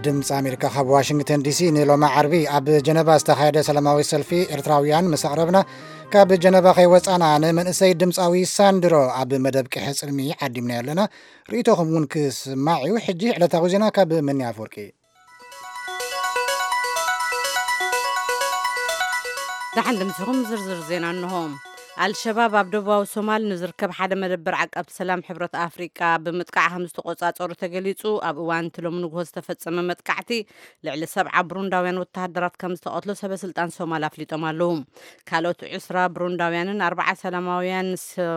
ድምፂ ኣሜሪካ ካብ ዋሽንግተን ዲሲ። ንሎሚ ዓርቢ ኣብ ጀነቫ ዝተኻየደ ሰላማዊ ሰልፊ ኤርትራውያን ምስ ኣቕረብና፣ ካብ ጀነቫ ከይወፃና ንመንእሰይ ድምፃዊ ሳንድሮ ኣብ መደብ ቅሐ ፅልሚ ዓዲምና ኣለና። ርእይቶኹም እውን ክስማዕ እዩ። ሕጂ ዕለታዊ ዜና ካብ መኒ ኣፈወርቂ። ደሓን ድምፅኹም። ዝርዝር ዜና እንሆ። ኣልሸባብ ኣብ ደቡባዊ ሶማል ንዝርከብ ሓደ መደበር ዓቃብቲ ሰላም ሕብረት ኣፍሪቃ ብምጥቃዕ ከም ዝተቆጻጸሩ ተገሊጹ። ኣብ እዋን እቲ ሎሚ ንግሆ ዝተፈጸመ መጥቃዕቲ ልዕሊ ሰብዓ ብሩንዳውያን ወተሃደራት ከም ዝተቐትሎ ሰበ ስልጣን ሶማል ኣፍሊጦም ኣለዉ። ካልኦት ዕስራ ብሩንዳውያንን ኣርባዓ ሰላማውያን ሶ-፣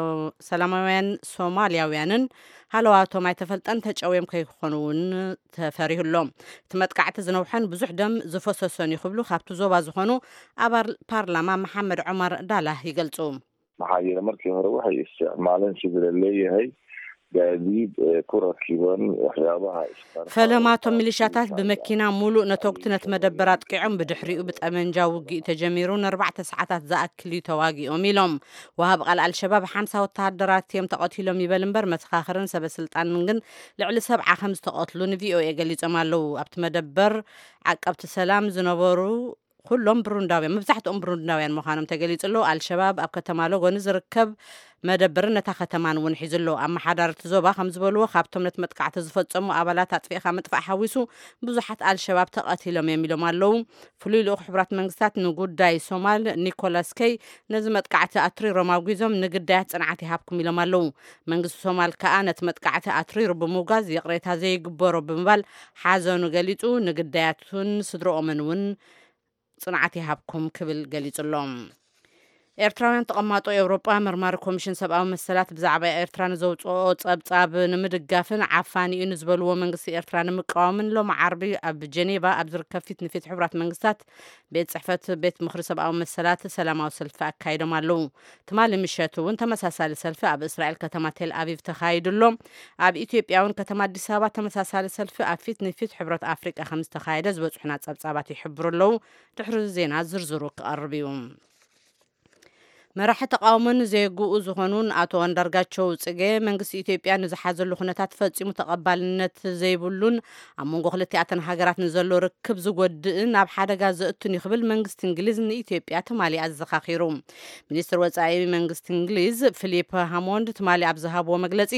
ሰላማውያን ሶማልያውያንን ሃለዋቶም ኣይተፈልጠን፣ ተጨውዮም ከይኮኑ እውን ተፈሪሁ ኣሎ። እቲ መጥቃዕቲ ዝነውሐን ብዙሕ ደም ዝፈሰሶን እዩ ክብሉ ካብቲ ዞባ ዝኾኑ ኣባል ፓርላማ መሓመድ ዑመር ዳላህ ይገልጹ። Maxaa yeelay markii hore waxay isticmaaleen sidii la leeyahay gaadiid, eh, ku rakiban waxyaabaha isqarxa. ፈለማቶም ሚሊሻታት ብመኪና ሙሉእ ነተጉቲ ነቲ መደበር ኣጥቂዖም፣ ብድሕሪኡ ብጠመንጃ ውግእ ተጀሚሩ፣ ንኣርባዕተ ሰዓታት ዝኣክል እዩ ተዋጊኦም ኢሎም። ወሃብ ቃል ኣልሸባብ ሓምሳ ወተሃደራት እዮም ተቐቲሎም ይበል እምበር፣ መሰኻኽርን ሰበ ስልጣንን ግን ልዕሊ ሰብዓ ከም ዝተቐትሉ ንቪኦኤ ገሊጾም ኣለዉ። ኣብቲ መደበር ዓቀብቲ ሰላም ዝነበሩ ኩሎም ብሩንዳውያን፣ መብዛሕትኦም ብሩንዳውያን ምዃኖም ተገሊጹ ኣሎ። ኣልሸባብ ኣብ ከተማ ሎጎ ንዝርከብ መደበርን ነታ ከተማን እውን ሒዙ ኣሎ። ኣመሓዳሪ እቲ ዞባ ከም ዝበልዎ፣ ካብቶም ነቲ መጥቃዕቲ ዝፈጸሙ ኣባላት ኣጥፊእካ ምጥፋእ ሓዊሱ ብዙሓት ኣልሸባብ ተቐቲሎም እዮም ኢሎም ኣለዉ። ፍሉይ ልኡኽ ሕቡራት መንግስታት ንጉዳይ ሶማል ኒኮላስ ኬይ ነዚ መጥቃዕቲ ኣትሪሮም ኣውጊዞም፣ ንግዳያት ጽንዓት ይሃብኩም ኢሎም ኣለዉ። መንግስቲ ሶማል ከኣ ነቲ መጥቃዕቲ ኣትሪሩ ብምውጋዝ ይቕሬታ ዘይግበሮ ብምባል ሓዘኑ ገሊጹ፣ ንግዳያቱን ስድረኦምን እውን ጽንዓት ይሃብኩም ክብል ገሊጹ ኣሎ። ኤርትራውያን ተቐማጦ ኤውሮጳ መርማሪ ኮሚሽን ሰብኣዊ መሰላት ብዛዕባ ኤርትራ ንዘውጽኦ ጸብጻብ ንምድጋፍን ዓፋኒ እዩ ንዝበልዎ መንግስቲ ኤርትራ ንምቃወምን ሎሚ ዓርቢ ኣብ ጀኔቫ ኣብ ዝርከብ ፊት ንፊት ሕቡራት መንግስታት ቤት ጽሕፈት ቤት ምኽሪ ሰብኣዊ መሰላት ሰላማዊ ሰልፊ ኣካይዶም ኣለዉ። ትማሊ ምሸት እውን ተመሳሳሊ ሰልፊ ኣብ እስራኤል ከተማ ቴል ኣቪቭ ተኻይዱ ኣሎ። ኣብ ኢትዮጵያ እውን ከተማ ኣዲስ ኣበባ ተመሳሳሊ ሰልፊ ኣብ ፊት ንፊት ሕብረት ኣፍሪቃ ከም ዝተኻየደ ዝበጽሑና ጸብጻባት ይሕብሩ ኣለዉ። ድሕሪ ዜና ዝርዝሩ ክቐርብ እዩ። መራሒ ተቃውሞን ዜግኡ ዝኾኑን ኣቶ ኣንዳርጋቸው ጽጌ፣ መንግስቲ ኢትዮጵያ ንዝሓዘሉ ኩነታት ፈጺሙ ተቐባልነት ዘይብሉን ኣብ መንጎ ክልቲኣተን ሃገራት ንዘሎ ርክብ ዝጎድእን ኣብ ሓደጋ ዘእቱን እዩ ክብል መንግስቲ እንግሊዝ ንኢትዮጵያ ትማሊ ኣዘኻኺሩ። ሚኒስትር ወጻኢ መንግስቲ እንግሊዝ ፊሊፕ ሃሞንድ ትማሊ ኣብ ዝሃብዎ መግለጺ፣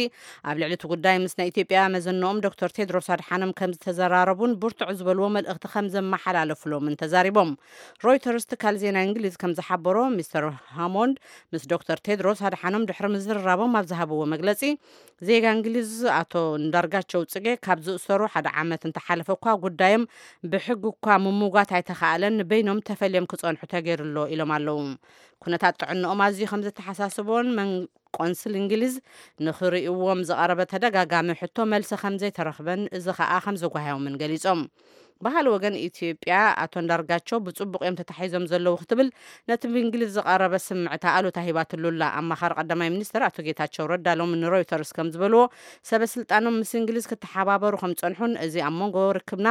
ኣብ ልዕሊ እቲ ጉዳይ ምስ ናይ ኢትዮጵያ መዘንኦም ዶክተር ቴድሮስ ኣድሓኖም ከም ዝተዘራረቡን ብርቱዕ ዝበልዎ መልእኽቲ ከም ዘመሓላለፉሎምን ተዛሪቦም። ሮይተርስ ትካል ዜና እንግሊዝ ከም ዝሓበሮ፣ ሚስተር ሃሞንድ ምስ ዶክተር ቴድሮስ ኣድሓኖም ድሕሪ ምዝርራቦም ኣብ ዝሃብዎ መግለጺ፣ ዜጋ እንግሊዝ ኣቶ እንዳርጋቸው ጽጌ ካብ ዝእሰሩ ሓደ ዓመት እንተሓለፈ እኳ ጉዳዮም ብሕጊ እኳ ምምጓት ኣይተኻእለን፣ በይኖም ተፈልዮም ክጸንሑ ተገይሩ ኣሎ ኢሎም ኣለዉ። ኩነታት ጥዕንኦም ኣዝዩ ከም ዘተሓሳስቦን መን-፣ ቆንስል እንግሊዝ ንኽርእይዎም ዝቐረበ ተደጋጋሚ ሕቶ መልሲ ከም ዘይተረኽበን እዚ ኸኣ ከም ዘጓህዮምን ገሊጾም። በሃሊ ወገን ኢትዮጵያ ኣቶ እንዳርጋቸው ብጽቡቕ እዮም ተታሒዞም ዘለዉ ክትብል ነቲ ብእንግሊዝ ዝቐረበ ስምዕታ ኣሉታ ሂባትሉ ኣላ። ኣማኻሪ ቀዳማይ ሚኒስትር ኣቶ ጌታቸው ረዳ ሎሚ ንሮይተርስ ከም ዝበልዎ፣ ሰበ ስልጣኖም ምስ እንግሊዝ ክተሓባበሩ ከም ጸንሑን እዚ ኣብ መንጎ ርክብና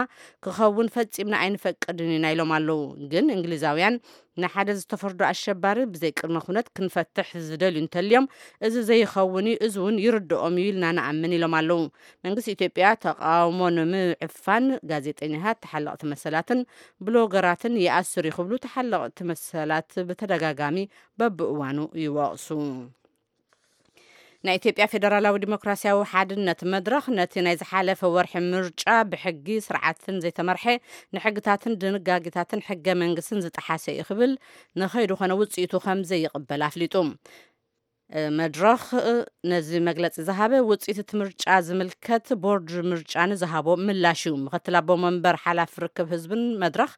ክኸውን ፈጺምና ኣይንፈቅድን ኢና ኢሎም ኣለዉ። ግን እንግሊዛውያን ንሓደ ዝተፈርዶ ኣሸባሪ ብዘይ ቅድመ ኩነት ክንፈትሕ ዝደልዩ እንተልዮም፣ እዚ ዘይኸውን እዩ፣ እዚ እውን ይርድኦም እዩ ኢልና ንኣምን ኢሎም ኣለዉ። መንግስቲ ኢትዮጵያ ተቃውሞ ንምዕፋን ጋዜጠኛታት፣ ተሓለቕቲ መሰላትን ብሎገራትን ይኣስር እዩ ክብሉ ተሓለቕቲ መሰላት ብተደጋጋሚ በብእዋኑ ይወቕሱ። ናይ ኢትዮጵያ ፌደራላዊ ዲሞክራሲያዊ ሓድነት መድረኽ ነቲ ናይ ዝሓለፈ ወርሒ ምርጫ ብሕጊ ስርዓትን ዘይተመርሐ፣ ንሕግታትን ድንጋጌታትን ሕገ መንግስትን ዝጠሓሰ እዩ ክብል፣ ንኸይዱ ኾነ ውፅኢቱ ከም ዘይቕበል ኣፍሊጡ። እ፣ መድረኽ፣ እ፣ ነዚ መግለፂ ዝሃበ ውፅኢት እቲ ምርጫ ዝምልከት ቦርድ ምርጫ ንዝሃቦ ምላሽ እዩ። ምክትል ኣቦ መንበር ሓላፊ ርክብ ህዝብን መድረኽ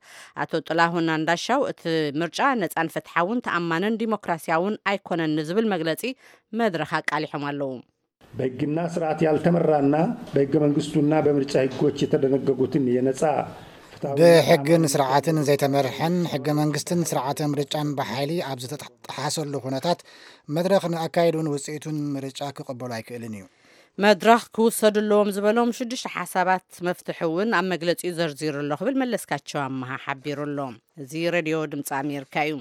ኣቶ ጥላሁን ኣንዳሻው እቲ ምርጫ ነፃን ፍትሓውን ተኣማንን ዲሞክራሲያውን ኣይኮነን ንዝብል መግለፂ መድረኽ ኣቃሊሖም ኣለዉ። በሕግና ስርዓት ያልተመራና፣ በሕገ መንግስቱና በምርጫ ሕጎች የተደነገጉትን የነጻ ፍትሐዊ ብሕግን ስርዓትን ዘይተመርሐን ሕገ መንግስትን ስርዓተ ምርጫን ብሓይሊ ኣብ ዝተጠሓሰሉ ኩነታት መድረኽ ንኣካይዱን ውፅኢቱን ምርጫ ክቕበሉ ኣይክእልን እዩ። መድረኽ ክውሰዱ ኣለዎም ዝበሎም ሽዱሽተ ሓሳባት መፍትሒ እውን ኣብ መግለጺኡ ዘርዚሩ ኣሎ ክብል መለስካቸው ኣመሃ ሓቢሩ ኣሎ። እዚ ሬድዮ ድምፂ ኣሜሪካ እዩ።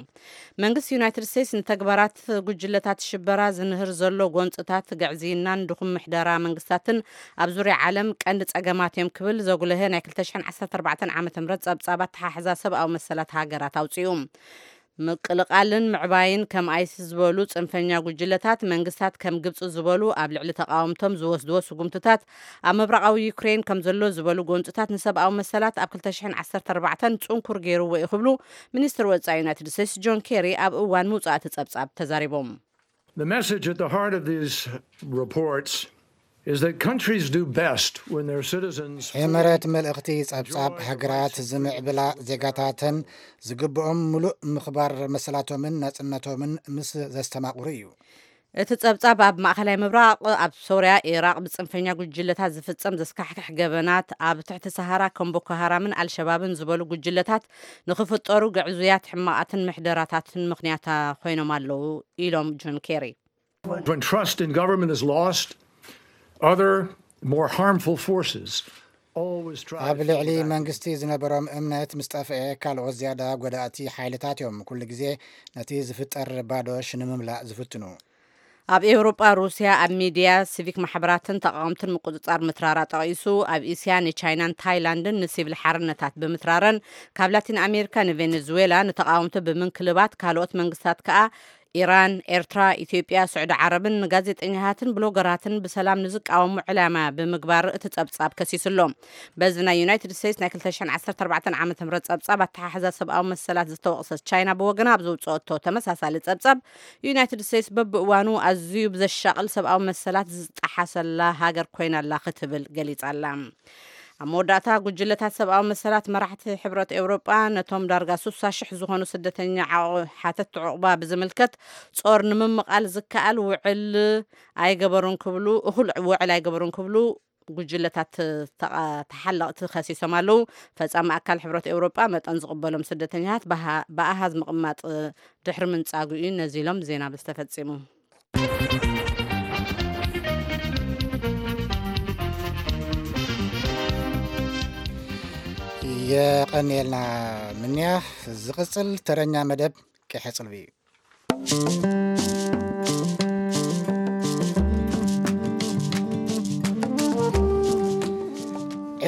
መንግስቲ ዩናይትድ ስቴትስ ንተግባራት ጉጅለታት ሽበራ ዝንህር ዘሎ ጎንፅታት፣ ግዕዝይናን ድኹም ምሕደራ መንግስታትን ኣብ ዙርያ ዓለም ቀንዲ ፀገማት እዮም ክብል ዘጉለሀ ናይ ክልተ ሽሕን ዓሰርተ ኣርባዕተን ዓመተ ምህረት ፀብፃብ ኣተሓሕዛ ሰብኣዊ መሰላት ሃገራት ኣውፅኡ። ምቅልቃልን ምዕባይን ከም ኣይሲስ ዝበሉ ጽንፈኛ ጉጅለታት፣ መንግስታት ከም ግብጺ ዝበሉ ኣብ ልዕሊ ተቃወምቶም ዝወስድዎ ስጉምትታት፣ ኣብ ምብራቃዊ ዩክሬን ከም ዘሎ ዝበሉ ጎንጽታት ንሰብኣዊ መሰላት ኣብ ክልተ ሽሕን ዓሰርተ ኣርባዕተን ጽንኩር ገይርዎ እዩ ክብሉ ሚኒስትር ወጻኢ ዩናይትድ ስቴትስ ጆን ኬሪ ኣብ እዋን ምውጻእ እቲ ጸብጻብ ተዛሪቦም። The message at the heart of these reports is that countries do best when their citizens ሕመረት መልእኽቲ ጸብጻብ፣ ሃገራት ዝምዕብላ ዜጋታተን ዝግብኦም ምሉእ ምኽባር መሰላቶምን ናጽነቶምን ምስ ዘስተማቕሩ እዩ። እቲ ጸብጻብ ኣብ ማእከላይ ምብራቕ፣ ኣብ ሶርያ፣ ኢራቕ ብጽንፈኛ ጉጅለታት ዝፍጸም ዘስካሕክሕ ገበናት፣ ኣብ ትሕቲ ሰሃራ ከም ቦኮ ሃራምን ኣልሸባብን ዝበሉ ጉጅለታት ንኽፍጠሩ ግዕዙያት ሕማቓትን ምሕደራታትን ምኽንያታ ኮይኖም ኣለዉ ኢሎም ጆን ኬሪ። When trust in government is lost, other, more harmful forces always try ኣብ to ልዕሊ take back መንግስቲ ዝነበሮም እምነት ምስ ጠፍአ፣ ካልኦት ዝያዳ ጎዳእቲ ሓይልታት እዮም ኩሉ ግዜ ነቲ ዝፍጠር ባዶ ሽንምምላእ ዝፍትኑ። ኣብ ኤውሮጳ፣ ሩስያ ኣብ ሚድያ፣ ሲቪክ ማሕበራትን ተቃወምትን ምቁጽጻር ምትራራ ጠቒሱ፣ ኣብ እስያ ንቻይናን ታይላንድን ንሲቪል ሓርነታት ብምትራረን፣ ካብ ላቲን ኣሜሪካ ንቬኔዙዌላ ንተቃወምቲ ብምንክልባት፣ ካልኦት መንግስታት ከኣ ኢራን፣ ኤርትራ፣ ኢትዮጵያ፣ ስዑዲ ዓረብን ንጋዜጠኛታትን ብሎገራትን ብሰላም ንዝቃወሙ ዕላማ ብምግባር እቲ ጸብጻብ ከሲሱ ኣሎ። በዚ ናይ ዩናይትድ ስቴትስ ናይ ክልተ ሽሕን ዓሰርተ ኣርባዕተን ዓመተ ምህረት ጸብጻብ ኣተሓሕዛ ሰብኣዊ መሰላት ዝተወቕሰት ቻይና ብወገና ኣብ ዘውጽኦቶ ተመሳሳሊ ጸብጻብ፣ ዩናይትድ ስቴትስ በብእዋኑ ኣዝዩ ብዘሻቕል ሰብኣዊ መሰላት ዝጠሓሰላ ሃገር ኮይና ኣላ ክትብል ገሊጻ ኣላ። ኣብ መወዳእታ፣ ጉጅለታት ሰብኣዊ መሰላት መራሕቲ ሕብረት ኤውሮጳ ነቶም ዳርጋ ስሳ ሽሕ ዝኾኑ ስደተኛ ዓቑ-፣ ሓተትቲ ዑቕባ ብዝምልከት ጾር ንምምቓል ዝከኣል ውዕል ኣይገበሩን ክብሉ፣ እኹል ውዕል ኣይገበሩን ክብሉ ጉጅለታት ተቓ-፣ ተሓለቕቲ ከሲሶም ኣለዉ። ፈጻሚ ኣካል ሕብረት ኤውሮጳ መጠን ዝቕበሎም ስደተኛታት ብሃ-፣ ብኣሃዝ ምቕማጥ ድሕሪ ምንጻጉ እዩ ነዚ ኢሎም ዜና ዝተፈጺሙ። የቐንየልና ምንያ። ዝቕጽል ተረኛ መደብ ቂሐ ጽልቢ እዩ።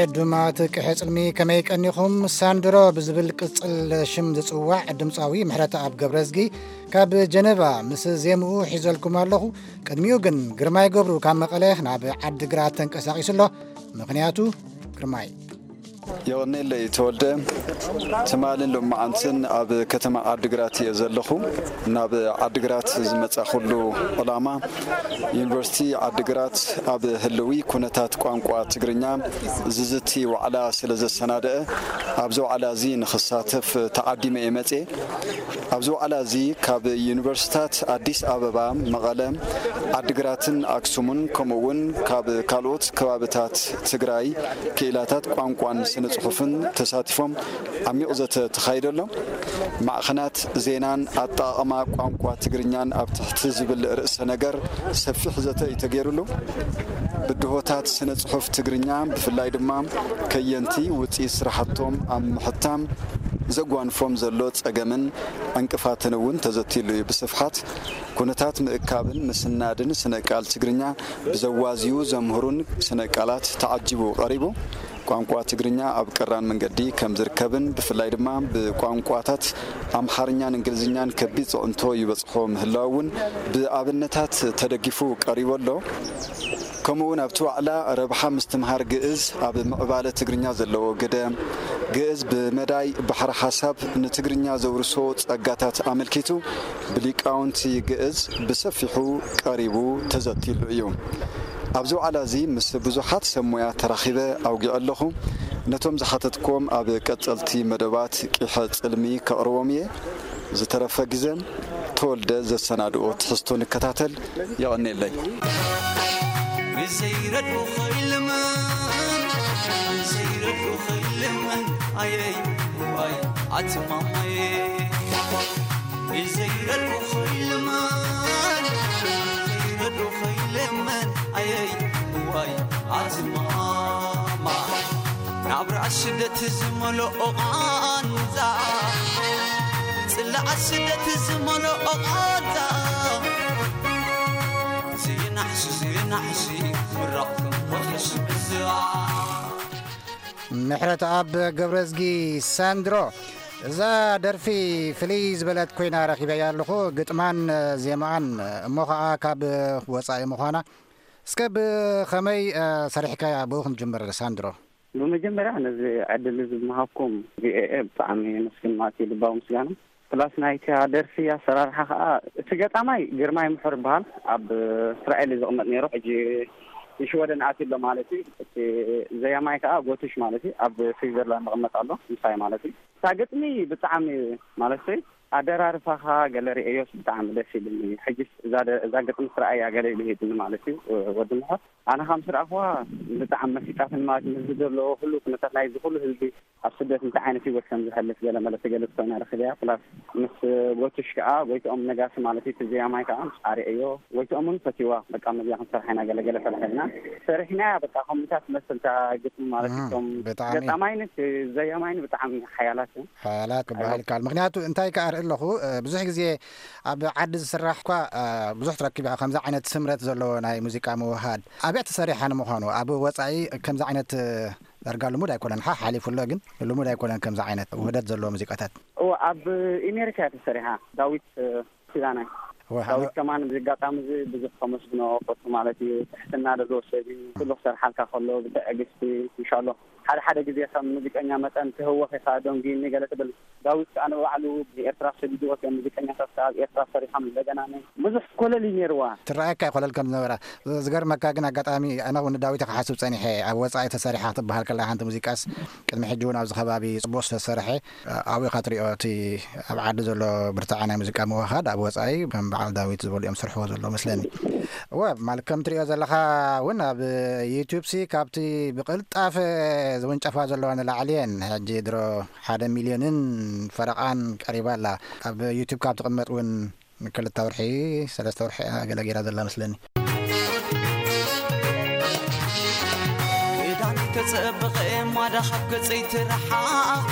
ዕዱማት ቂሐ ጽልሚ ከመይ ቀኒኹም? ሳንድሮ ብዝብል ቅጽል ሽም ዝጽዋዕ ድምጻዊ ምሕረተኣብ ገብረዝጊ ካብ ጀነቫ ምስ ዜምኡ ሒዘልኩም ኣለኹ። ቅድሚኡ ግን ግርማይ ገብሩ ካብ መቐለ ናብ ዓዲግራት ተንቀሳቒሱ ኣሎ። ምኽንያቱ ግርማይ። የቐኔለይ ተወልደ። ትማልን ሎማዓንትን ኣብ ከተማ ዓዲግራት እየ ዘለኹ። ናብ ዓዲግራት ዝመጻኹሉ ዕላማ፣ ዩኒቨርሲቲ ዓዲግራት ኣብ ህልዊ ኩነታት ቋንቋ ትግርኛ ዝዝቲ ዋዕላ ስለ ዘሰናደአ፣ ኣብዚ ዋዕላ እዚ ንኽሳተፍ ተዓዲመ እየ መጽየ። ኣብዚ ዋዕላ እዚ ካብ ዩኒቨርሲታት ኣዲስ ኣበባ፣ መቐለ፣ ዓዲግራትን ኣክሱምን፣ ከምኡ እውን ካብ ካልኦት ከባብታት ትግራይ ክኢላታት ቋንቋን ስነ ጽሑፍን ተሳቲፎም ዓሚቕ ዘተ ተኻይደሎም። ማዕኸናት ዜናን ኣጠቓቕማ ቋንቋ ትግርኛን ኣብ ትሕቲ ዝብል ርእሰ ነገር ሰፊሕ ዘተ እዩ ተገይሩሉ። ብድሆታት ስነ ጽሑፍ ትግርኛ፣ ብፍላይ ድማ ከየንቲ ውጽኢት ስራሕቶም ኣብ ምሕታም ዘጓንፎም ዘሎ ጸገምን ዕንቅፋትን እውን ተዘትይሉ እዩ ብስፍሓት። ኩነታት ምእካብን ምስናድን ስነ ቃል ትግርኛ ብዘዋዝዩ ዘምህሩን ስነ ቃላት ተዓጂቡ ቀሪቡ። ቋንቋ ትግርኛ ኣብ ቀራን መንገዲ ከም ዝርከብን ብፍላይ ድማ ብቋንቋታት ኣምሓርኛን እንግሊዝኛን ከቢድ ጽዕንቶ ይበጽሖ ምህላው እውን ብኣብነታት ተደጊፉ ቀሪቡ ኣሎ። ከምኡ እውን ኣብቲ ዋዕላ ረብሓ ምስትምሃር ግእዝ ኣብ ምዕባለ ትግርኛ ዘለዎ ግደ፣ ግእዝ ብመዳይ ባሕሪ ሓሳብ ንትግርኛ ዘውርሶ ጸጋታት ኣመልኪቱ ብሊቃውንቲ ግእዝ ብሰፊሑ ቀሪቡ ተዘቲሉ እዩ። ኣብዚ ዋዕላ እዚ ምስ ብዙሓት ሰብ ሞያ ተራኺበ ኣውጊዐ ኣለኹ። ነቶም ዝሓተትክዎም ኣብ ቀጸልቲ መደባት ቂሐ ጽልሚ ከቕርቦም እየ። ዝተረፈ ግዘ ተወልደ ዘሰናድኦ ትሕዝቶ ንከታተል። የቐኔለይ። ብዘይረድኡ ኸይልምን፣ ብዘይረድኡ ኸይልምን፣ ኣየይ፣ ዋይ፣ ኣትማማየ። ብዘይረድኡ ኸይልምን፣ ብዘይረድኡ ኸይልምን፣ ኣየይ፣ ኣብ ርኣስ ስደት ዝመልኦ ቓንዛ፣ ጽላኣት ስደት ዝመልኦ ቓንዛ፣ ዘይናሕሲ፣ ዘይናሕሲ፣ ምራቕ ከም ወርሒ ስብዛ። ምሕረት ኣብ ገብረዝጊ ሳንድሮ። እዛ ደርፊ ፍልይ ዝበለት ኮይና ረኺበያ ኣለኹ፣ ግጥማን ዜማኣን እሞ ኸኣ ካብ ወጻኢ ምዃና። እስከ ብኸመይ፣ እ፣ ሰሪሕካያ? ብኡ ክንጅምር ሳንድሮ። ብመጀመርያ ነዚ ዕድል እዚ ብምሃብኩም ቪኦኤ ብጣዕሚ የመስግን ማለት እዩ፣ ልባዊ ምስጋና። ፕላስ ናይታ ደርፊ ኣሰራርሓ ኸኣ፣ እቲ ገጣማይ ግርማይ ምሑር ይበሃል፣ ኣብ እስራኤል እዩ ዝቕመጥ ነይሩ፣ ሕጂ ንሽወደን ኣትዩ ኣሎ ማለት እዩ። እቲ ዘያማይ ከኣ ጎቱሽ ማለት እዩ፣ ኣብ ስዊዘርላንድ ይቕመጥ ኣሎ፣ ምሳይ ማለት እዩ። እታ ግጥሚ ብጣዕሚ ማለት ኣደራርፋኻ ገለ ርእዮስ ብጣዕሚ ደስ ኢሉኒ። ሕጅስ እዛ ደ-፣ እዛ ግጥሚ ስረኣያ ገለ ኢሉ ሂብኒ ማለት እዩ፣ ወዲ ምሑር። ኣነ ከም ስረኣኽዋ ብጣዕሚ መሲጣትኒ ማለት እዩ። ምስዚ ዘሎ ኩሉ ኩነታት ናይዚ ኩሉ ህዝቢ ኣብ ስደት እንታይ ዓይነት ህይወት ከም ዝሕልፍ ገለ መለ ትገልጽ ኮይና ረኺበያ። ፕላስ ምስ ጎቱሽ ከኣ፣ ጎይትኦም ነጋሲ ማለት እዩ፣ እቲ ዘያማይ ከኣ ምስ ኣርእዮ፣ ጎይትኦም እውን ፈትይዋ። በቃ፣ መዚኣ ክንሰርሓ ኢና፣ ገለ ገለ ፈለሐልና። ሰሪሕናያ፣ በቃ፣ ከምኡታት ትመስል እታ ግጥሚ ማለት እዩ። እም፣ እቶም ብጣዕሚ። ገጣማይን እቲ ዘያማይን ብጣዕሚ ሓያላት እዮም። ሓያላት ክበሃል ኣይዋ። ይከኣል። ምኽንያቱ እንታይ ከኣ ርኢ ኣለኹ፣ እ፣ ብዙሕ ግዜ ኣብ ዓዲ ዝስራሕ እኳ፣ እ፣ ብዙሕ ትረክብ ኢኻ ከምዚ ዓይነት ስምረት ዘለዎ ናይ ሙዚቃ ምውህሃድ። ኣበይ ተሰሪሓ ንምዃኑ? ኣብ ወጻኢ ከምዚ ዓይነት፣ እ፣ ዳርጋ ልሙድ ኣይኮነን። ሓ-፣ ሓሊፉ ኣሎ፣ ግን ልሙድ ኣይኮነን ከምዚ ዓይነት ውህደት ዘለዎ ሙዚቃታት። እወ፣ ኣብ ኣሜሪካ እያ ተሰሪሓ። ዳዊት፣ እ፣ ኪዳነ። እወ፣ ዳዊት ከማን ብዚ ኣጋጣሚ እዚ ብዙሕ ከመስግኖ እፈቱ ማለት እዩ። ትሕትና ዘለዎ ሰብ እዩ። ኩሉ ክሰርሓልካ ከሎ ብትዕግስቲ፣ ኢንሻሎ። ሓደ ሓደ ግዜ ከም ሙዚቀኛ መጠን ትህወኽ ኢኻ፣ ደንጉዩኒ ገለ ትብል። ዳዊት ከኣ ንባዕሉ ንኤርትራ ሰዲድዎ፣ እቶም ሙዚቀኛታት ከኣ ኣብ ኤርትራ ሰሪሖም እንደገና ነ-፣ ብዙሕ ኮለል እዩ ነይርዋ። ትረኣየካ እዩ ኮለል ከም ዝነበራ። ዝ-፣ ዝገርመካ ግን ኣጋጣሚ ኣነ እውን ንዳዊት ክሓስብ ጸኒሐ። ኣብ ወጻኢ ተሰሪሓ ክትበሃል ከላ ሓንቲ ሙዚቃስ ቅድሚ ሕጂ እውን ኣብዚ ከባቢ ጽቡቕ ዝተሰርሐ፣ ኣብኡ ኢኻ ትሪኦ እቲ ኣብ ዓዲ ዘሎ ብርትዐ ናይ ሙዚቃ ምውህሃድ ኣብ ወጻኢ ከም በዓል ዳዊት ዝበሉ እዮም ዝሰርሕዎ ዘለዉ መስለኒ። እወ፣ ማለት ከም ትሪኦ ዘለኻ እውን ኣብ ዩቱብ ሲ ካብቲ ብቕልጣፈ ዝውንጨፋ ዘለዋ ንላዕሊ እየን። ሕጂ ድሮ ሓደ ሚልዮንን ፈረቓን ቀሪባ ኣላ። ኣብ ዩቱብ ካብ ትቕመጥ እውን ንክልተ ወርሒ፣ ሰለስተ ወርሒ ገለ ገይራ ዘላ መስለኒ። ክዳን ተጸበቐ ማዳ ካብ ገጸይ ተረሓቐ።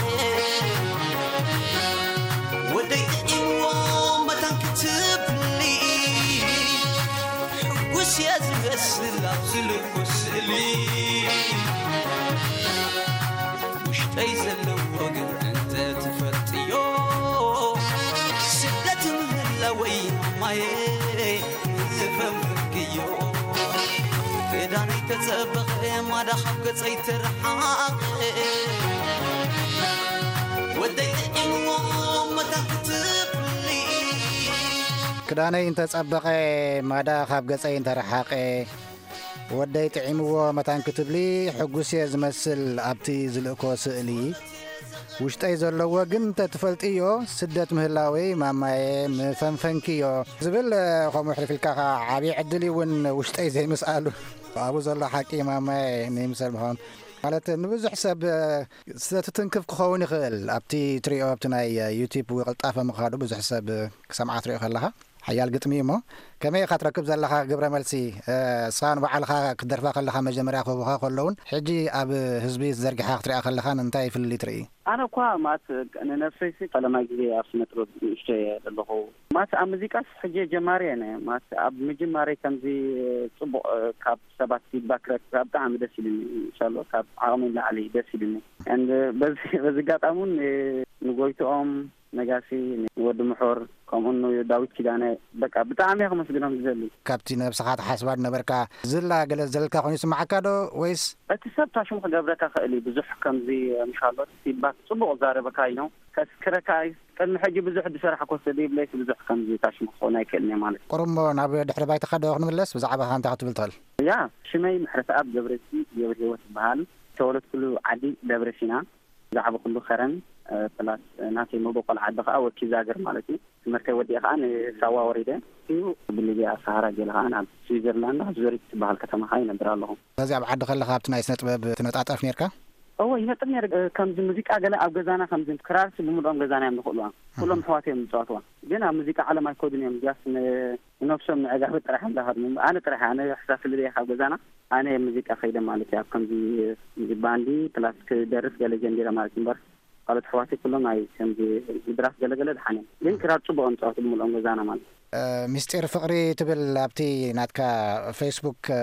ወደይ ጥዒምዎ መታን ክትብሊ። ሕጉስ እየ ዝመስል ኣብ ዝልኮ ስእሊ። ውሽጠይ ዘለዎ ግን እንተ ትፈልጥዮ፣ ስደት ምህላወይ ማማየ ምፈንፍንክዮ። ክዳነይ ተጸበቐ ማዳ ካብ ገጸይ ተረሓቐ። ወደይ ጥዒምዎ መታን ክትብሊ። ክዳነይ እንተጸበቐ ማዳ ካብ ገጸይ እንተረሓቐ። ወደይ ጥዒምዎ መታን ክትብሊ ሕጉስ እየ ዝመስል ኣብቲ ዝልእኮ ስእሊ። ውሽጠይ ዘለዎ ግን እንተትፈልጥዮ፣ ስደት ምህላወይ ማማየ ምፈንፈንክዮ ዝብል፣ ከምኡ ሕልፍ ኢልካ ኸዓ ዓብዪ ዕድል እዩ እውን ውሽጠይ ዘይምስኣሉ። ኣብኡ ዘሎ ሓቂ ማማየ ንይምሰል ምዃኑ። ማለት ንብዙሕ ሰብ ስለ ትትንክፍ ክኸውን ይኽእል። ኣብቲ ትሪኦ ኣብቲ ናይ ዩቲዩብ ቅልጣፈ ምኻዱ ብዙሕ ሰብ ክሰምዓ ትሪኦ ከለኻ። ሓያል ግጥሚ እዩ እሞ፣ ከመይ ኢኻ ትረክብ ዘለኻ ግብረ መልሲ? እ፣ እሳ ንባዕልኻ ክትደርፋ ከለኻ መጀመርያ ክህቡኻ ከለውን፣ ሕጂ ኣብ ህዝቢ ዘርጊሓ ክትሪኣ ከለኻን እንታይ ፍልልይ ትርኢ? ኣነ እኳ ማለት ንነብሰይሲ ፈለማይ ግዜ ኣብ ስነ ጥበብ ንእሽተይ እየ ዘለኹ። ማለት ኣብ ሙዚቃስ ሕጂ ጀማሪ እየ። ማለት ኣብ ምጅማረይ ከምዚ ጽቡቕ፣ እ፣ ካብ ሰባት ፊድባክ ክረክብ ብጣዕሚ ደስ ኢሉኒ። ኢንሻሎ ካብ ዓቕሚ ንላዕሊ ደስ ኢሉኒ። And በዚ፣ በዚ ኣጋጣሚ እውን ን-፣ ንጎይትኦም ነጋሲ፣ ንወዲ ምሑር፣ ከምኡ ንዳዊት ኪዳነ፣ በቃ ብጣዕሚ እየ ከመስግኖም ዝደሊ። ካብቲ ነብስኻ ትሓስባ ዝነበርካ ዝላ ገለ ዘለካ ኮይኑ ይስምዓካ ዶ ወይስ? እቲ ሰብ ታሽሙ ክገብረካ ክእል እዩ። ብዙሕ ከምዚ፣ ምሻሎ፣ ፊድባክ ጽቡቕ ዛረበካ እዩ። ከስክረካ እዩ። ቅድሚ ሕጂ ብዙሕ ዝሰራሕኮ ሰብ ይብለይስ ብዙሕ ከምዚ ታሽሙ ክኸውን ኣይክእልን እየ ማለት እዩ። ቁሩብ እሞ ናብ ድሕሪ ባይታኻ ዶ ክንምለስ? ብዛዕባኻ እንታይ ክትብል ትኽእል? ያ፣ ሽመይ ምሕረተኣብ ገብረዝጊ ገብረ ህይወት ይበሃል። ዝተወለድኩሉ ዓዲ ደብረ ሲና። ብዛዕባ ኩሉ ከረን፣ እ፣ ፕላስ፣ እ፣ ናተይ መበቆል ዓዲ ከኣ ወኪዛግር ማለት እዩ። ትምህርተይ ወዲኤ ከኣ ንሳዋ ወሪደ። እዩ ብሊብያ ሰሃራ ገለ ከኣ ናብ ስዊዘርላንድ ኣብ ዙሪክ ትበሃል ከተማ ከኣ ይነብር ኣለኹ። በዚ ኣብ ዓዲ ከለኻ ኣብቲ ናይ ስነ ጥበብ ትነጣጠፍ ኔርካ? እወ፣ ይነጥፍ ነይረ። እ፣ ከምዚ ሙዚቃ ገለ ኣብ ገዛና ከምዚ ክራርሲ ብምልኦም ገዛና እዮም ዝኽእልዋ። ኩሎም ኣሃ። ኣሕዋት እዮም ዝጻወትዋ። ግን ኣብ ሙዚቃ ዓለም ኣይከዱን እዮም። ጃስ ን-፣ ንነብሶም ንዕጋበት ጥራሕ እዮም ዝሃድሙ። ኣነ ጥራሕ፣ ኣነ ሕሳብ ፍልልየ ካብ ገዛና። ኣነ ሙዚቃ ከይደ ማለት እዩ። ኣብ ከምዚ ባንዲ ፕላስ ክደርፍ ገለ ጀሚረ ማለት እዩ። እምበር ካልኦት ኣሕዋተይ ኩሎም ኣይ ከምዚ ምድራፍ ገለገለ ድሓን እዮም። ግን ክራር ጽቡቕ እዮም ዝጻወቱ ብምልኦም ገዛና ማለት እዩ። እ፣ ምስጢር ፍቕሪ ትብል ኣብቲ ናትካ ፌስቡክ፣ እ፣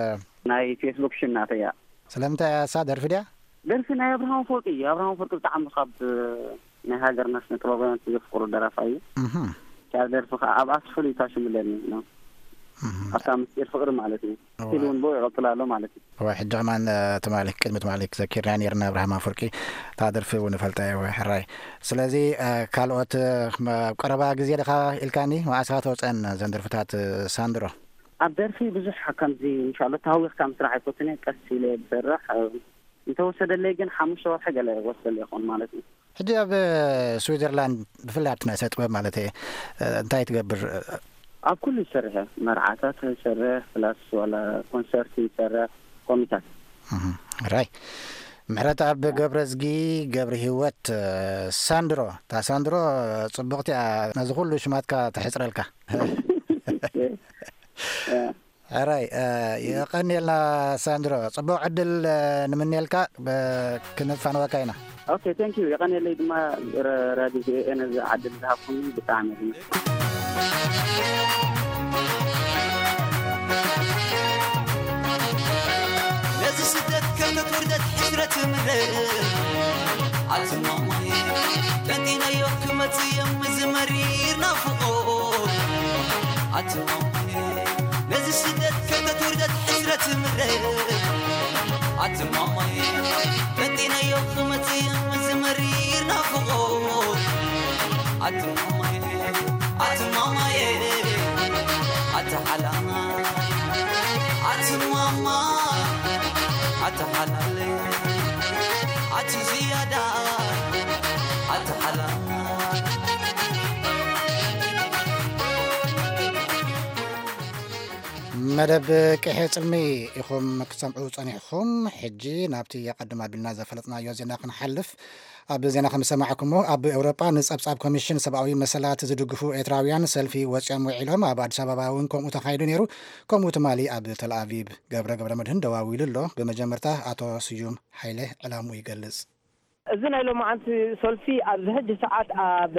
ናይ ፌስቡክ ሽም ናተይ እያ። ስለምንታይ እያ እሳ ደርፊ ድያ? ደርፊ ናይ ኣብርሃም ኣፈወርቂ እዩ። ኣብርሃም ኣፈወርቂ ብጣዕሚ ካብ ናይ ሃገርና ስነ ጥበባውያን ዘፍቅሮ ደራፋይ እዩ። እህ። ካብ ደርፊ ከዓ ኣብ ኣስፍሉ እዩ ታሽሙ ኣለኒ ነው። እህ። ኣብታ ምስጢር ፍቕሪ ማለት እዩ። እዋ። ስቲል እውን ብኡ ይቐጽል ኣሎ ማለት እዩ። እዋ፣ ሕጂ ከማን፣ እ፣ ትማሊ፣ ቅድሚ ትማሊ ክዘኪርና ነይርና ኣብርሃም ኣፈወርቂ። እታ ደርፊ እውን እፈልጣ እየ፣ እዋ፣ ሕራይ። ስለዚ፣ እ፣ ካልኦት፣ እ፣ መ-፣ ኣብ ቀረባ ግዜ ዲኻ ኢልካኒ፣ መዓስ ኢኻ ተውፀአን እዘን ደርፍታት፣ እ፣ ሳንድሮ? ኣብ ደርፊ ብዙሕ ከምዚ፣ እንሻሎ፣ ተሃዊኽካ ምስራሕ ኣይፈቱን እየ። ቀስ ኢለ ዝሰርሕ፣ እ፣ እንተወሰደለይ ግን ሓሙሽተ ወርሒ ገለ ወሰደለይ ይኸውን ማለት እዩ። ሕጂ ኣብ ስዊዘርላንድ፣ ብፍላይ ኣብቲ ናይ ስነ ጥበብ ማለት እየ፣ እንታይ ትገብር? ኣብ ኩሉ ይሰርሕ እየ። መርዓታት ይሰርሕ፣ ፕላስ ዋላ ኮንሰርት ይሰርሕ፣ ኮሚታት። እህ፣ ራይ። ምሕረት ኣብ ገብረዝጊ ገብረ ህይወት፣ ሳንድሮ። እታ ሳንድሮ ጽቡቕቲ እያ፣ ነዚ ኩሉ ሽማትካ ተሕጽረልካ። ሕራይ፣ እ፣ የቐንየልና ሳንድሮ። ጽቡቕ ዕድል፣ እ፣ ንምንየልካ፣ ብ-፣ ክንፋነወካ ኢና። ኦኬ፣ ቴንክ ዩ። የቐንየለይ ድማ ረ-፣ ራዲዮ ቪ ኦ ኤ ነዚ ዕድል ዝሃብኩምኒ ብጣዕሚ የቐንየለይ። ነዚ ስደት ከም ተትወርደት ሕስረት ምረ ኣትማማይ ቀንዲናዮ ክመጽእ እዮም እዚ መሪር ናፍቖት። ኣትማማይ ነዚ ስደት ከተትውርደት ሕስረት ምረ ኣትማማይ ቀንዲናዮ ክመጽእ ምስ መሪር ናፍቖት። ኣትማማይ ኣትማማይ ኣትሓላና ኣትማማ ኣትሓላለ ኣቲ ዝያዳ ኣትሓላና። መደብ ቅሔ ጽልሚ ኢኹም ክትሰምዑ ጸኒሕኹም። ሕጂ ናብቲ ኣቐድም ኣቢልና ዘፈለጥናዮ ዜና ክንሓልፍ። ኣብ ዜና ከም ዝሰማዕኩሞ፣ ኣብ ኤውሮጳ ንጸብጻብ ኮሚሽን ሰብኣዊ መሰላት ዝድግፉ ኤርትራውያን ሰልፊ ወጺኦም ውዒሎም። ኣብ ኣዲስ ኣበባ እውን ከምኡ ተኻይዱ ነይሩ። ከምኡ ትማሊ ኣብ ተልኣቪቭ። ገብረ ገብረ መድህን ደዋዊሉ ኣሎ። ብመጀመርታ ኣቶ ስዩም ሓይለ ዕላምኡ ይገልጽ። እዚ ናይ ሎማዓንቲ ሰልፊ ኣብዚ ሕጂ ሰዓት ኣብ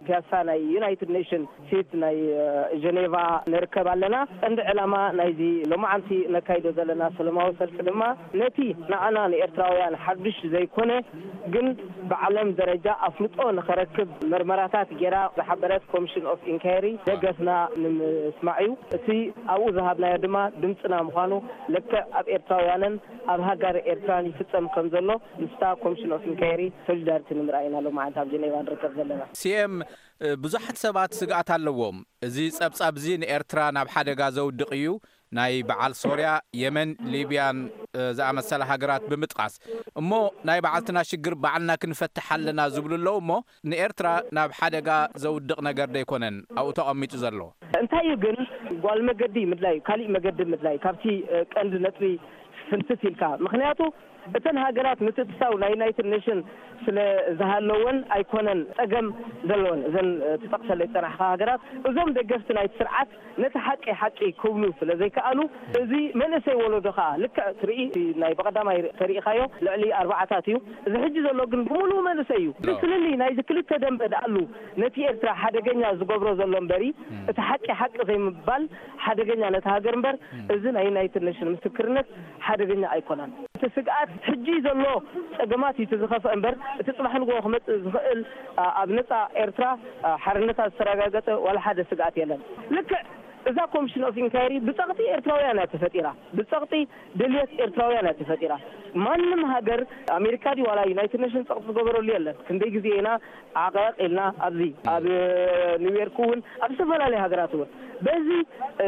ፒያሳ ናይ ዩናይትድ ኔሽን ሲት ናይ፣ እ፣ ጀኔቫ ንርከብ ኣለና። ቀንዲ ዕላማ ናይዚ ሎማዓንቲ ነካይዶ ዘለና ሰላማዊ ሰልፊ ድማ ነቲ ንዓና ንኤርትራውያን ሓዱሽ ዘይኮነ ግን ብዓለም ደረጃ ኣፍልጦ ንኸረክብ መርመራታት ጌራ ዝሓበረት ኮሚሽን ኦፍ ኢንኳየሪ ደገፍና ንምስማዕ እዩ። እቲ ኣብኡ ዝሃብናዮ ድማ ድምፅና ምዃኑ ልክዕ ኣብ ኤርትራውያንን ኣብ ሃገር ኤርትራን ይፍጸም ከም ዘሎ ምስታ ኮሚሽን ኦፍ ኢንኳየሪ ሶሊዳሪቲ ንምርኣይ ኢና ሎማዓንቲ ኣብ ጀኔቫ ንርከብ ዘለና። ሲኤም፣ እ፣ ብዙሓት ሰባት ስግኣት ኣለዎም። እዚ ጸብጻብ እዚ ንኤርትራ ናብ ሓደጋ ዘውድቕ እዩ። ናይ በዓል ሶርያ፣ የመን፣ ሊብያን፣ እ፣ ዝኣመሰላ ሃገራት ብምጥቃስ፣ እሞ ናይ በዓልትና ሽግር ባዕልና ክንፈትሕ ኣለና ዝብሉ ኣለዉ። እሞ ንኤርትራ ናብ ሓደጋ ዘውድቕ ነገር ደይኮነን ኣብኡ ተቐሚጡ ዘሎ። እንታይ እዩ ግን ጓል መገዲ ምድላይ፣ ካሊእ መገዲ ምድላይ ካብቲ፣ እ፣ ቀንዲ ነጥቢ ፍንትት ኢልካ። ምኽንያቱ እተን ሃገራት ምትእትታው ናይ ዩናይትድ ኔሽን ስለ ዝሃለወን ኣይኮነን ጸገም ዘለወን። እዘን፣ እ፣ ትጠቕሰለይ ዝጸናሕካ ሃገራት፣ እዞም ደገፍቲ ናይቲ ስርዓት ነቲ ሓቂ ሓቂ ክብሉ ስለ ዘይከኣሉ፣ እዚ መንእሰይ ወለዶ ከኣ ልክዕ ትርኢ፣ ናይ ብቐዳማይ ተሪኢኻዮ ልዕሊ ኣርባዓታት እዩ። እዚ ሕጂ ዘሎ ግን ብምሉኡ መንእሰይ እዩ። እቲ ፍልልይ ናይዚ ክልተ ደንበ ደኣሉ ነቲ ኤርትራ ሓደገኛ ዝገብሮ ዘሎ እምበሪ፣ እቲ ሓቂ ሓቂ ዘይምባል ሓደገኛ ነቲ ሃገር እምበር፣ እዚ ናይ ዩናይትድ ኔሽን ምስክርነት ሓደገኛ ኣይኮነን። እቲ ስግኣት ሕጂ ዘሎ ጸገማት እዩ እቲ ዝኸፍአ እምበር፣ እቲ ጽባሕ ንግሆ ክመጽእ ዝኽእል፣ ኣ-፣ ኣብ ነጻ ኤርትራ፣ ኣ፣ ሓርነታ ዝተረጋገጸ ዋላ ሓደ ስግኣት የለን። ልክዕ እዛ ኮሚሽን ኦፍ ኢንኳየሪ ብጸቕጢ ኤርትራውያን እያ ተፈጢራ። ብጸቕጢ ድልየት ኤርትራውያን እያ ተፈጢራ። ማንም ሃገር፣ ኣሜሪካ ድዩ ዋላ ዩናይትድ ኔሽን ጸቕጢ ዝገበረሉ የለን። ክንደይ ግዜ ኢና ዓቐቕ ኢልና ኣብዚ ኣብ ኒውዮርክ እውን ኣብ ዝተፈላለዩ ሃገራት እውን በዚ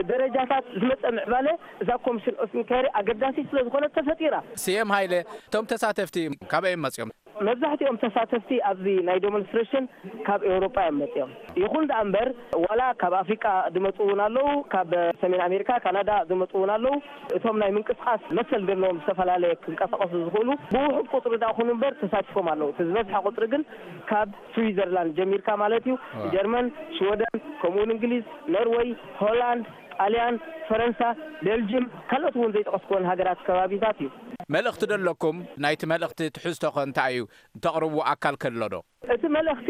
ደረጃታት ዝመጸ ምዕባለ እዛ ኮሚሽን ኦፍ ኢንኳየሪ ኣገዳሲት ስለ ዝኾነት ተፈጢራ። ስየም ሃይለ፣ እቶም ተሳተፍቲ ካበይ እዮም መጺኦም? መብዛሕትኦም ተሳተፍቲ ኣብዚ ናይ ዴሞንስትሬሽን ካብ ኤውሮጳ እዮም መጺኦም። ይኹን ደኣ እምበር ዋላ ካብ ኣፍሪቃ ዝመጹ እውን ኣለዉ፣ ካብ ሰሜን ኣሜሪካ፣ ካናዳ ዝመጹ እውን ኣለዉ። እቶም ናይ ምንቅስቃስ መሰል ዘለዎም ዝተፈላለየ ክንቀሳቀሱ ዝኽእሉ ብውሑድ ቁጽሪ ደኣ ኹኑ እምበር ተሳቲፎም ኣለዉ። እቲ ዝበዝሐ ቁጽሪ ግን ካብ ስዊዘርላንድ ጀሚርካ ማለት እዩ፣ ጀርመን፣ ሽወደን፣ ከምኡ እውን እንግሊዝ፣ ኖርወይ፣ ሆላንድ፣ ጣልያን፣ ፈረንሳ፣ ቤልጅም፣ ካልኦት እውን ዘይጠቐስኩወን ሃገራት ከባቢታት እዩ። መልእኽቲ ዶ ኣለኩም? ናይቲ መልእኽቲ ትሕዝቶ ኸ እንታይ እዩ? እተቕርቡ ኣካል ከሎ ዶ? እቲ መልእኽቲ